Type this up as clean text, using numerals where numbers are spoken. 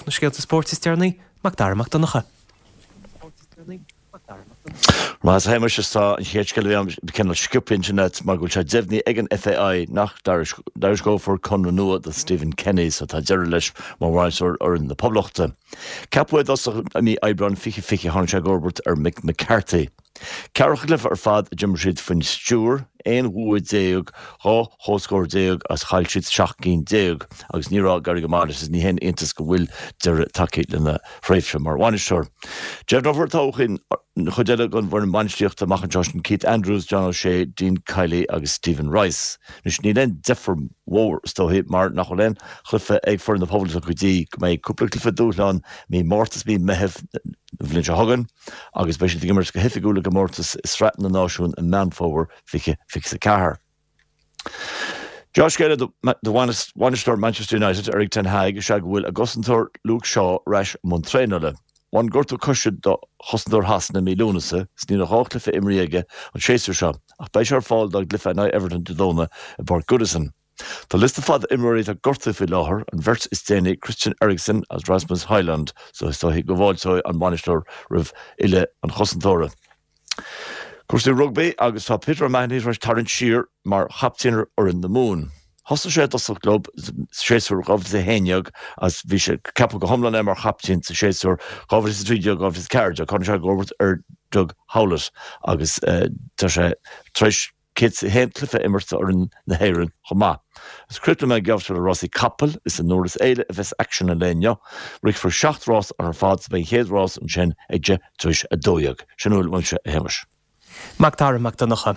Na scéalta spóirt is deireanaí, Mac Dara Mac Donncha. Maith a Shéamais, is tá an chéad scéal a bhí ann cineál sciobtha ansin agat mar go bhfuil sé deimhnithe ag an FAI nach dtairisceofar conradh nua do Stephen Kenny so tá deireadh leis mar bhainisteoir fhoireann na Poblachta. Ceapadh é i dtosach i mí Aibreáin 2020 tháinig sé i gcomharbacht ar Mick McCarthy. Ceathracha cluiche ar fad a d'imir siad faoina stiúir, 11 bhua, 12 chomhscór agus chaill siad 17 gcinn agus ní raibh ag éirí go maith leis agus ní haon iontas go bhfuil deireadh tagtha lena thréimhse mar bhainisteoir. Deimhneofar todhchaí an chuid eile den bhfoireann bainistíochta amach anseo, sin Keith Andrews, John O'Shea, Dean Kiely agus Stephen Rice. Anois níl aon deifir mhór is dóichí mar nach bhfuil aon chluiche ag foireann na Poblachta go dtí go mbeidh cúpla cluiche dúshláin mí Márta is mí Meitheamh na bhliain seo chugainn. agus beidh siad ag imirt go hoifigiúil i gcomórtas i Sraith na Náisiún i Meán Fómhair 2024. Dea-scéala do bhainisteoir Manchester United, Erik ten Hag, is ea go bhfuil a gcosantóir Luke Shaw ar ais i mbun traenála. Bhain gortú coise do chosantóir Shasana i mí Lúnasa is níl ach 2 chluiche imrithe aige an séasúr seo ach beidh sé ar fáil dá gcluiche in aghaidh Everton Dé Domhnaigh i bPáirc Goodison. Tá liosta fada imreoirí atá gortaithe faoi láthair, an bheirt is déanaí Christian Eriksen agus Rasmus Højlund, so is dóichí go bhfáilteoidh an bainisteoir roimh fhilleadh an chosantóra. Cúrsaí rugbaí agus tá Peter O'Mahony tar éis tarraingt siar mar chaptaen ar fhoireann na Mumhan. Thosaigh sé i dtosach leo sa séasúr 2011 agus bhí sé ceapadh go hiomlán é mar chaptaen sa séasúr 2013, 2014. Tháinig sé i gcomharbacht ar Doug Howlett agus tá sé tar éis 101 cluiche a imirt d'fhoireann na hÉireann chomh maith. Is críochnóidh mé an geábh seo le rásaí capall. Is i nDurlas Éile a bheas aicsean an lae inniu. Rithfear 7 rás ar fad is beidh an chéad rás ansin ag 11:20. Sin a bhfuil uaimse, a Shéamais. Mac Dara Mac Donncha.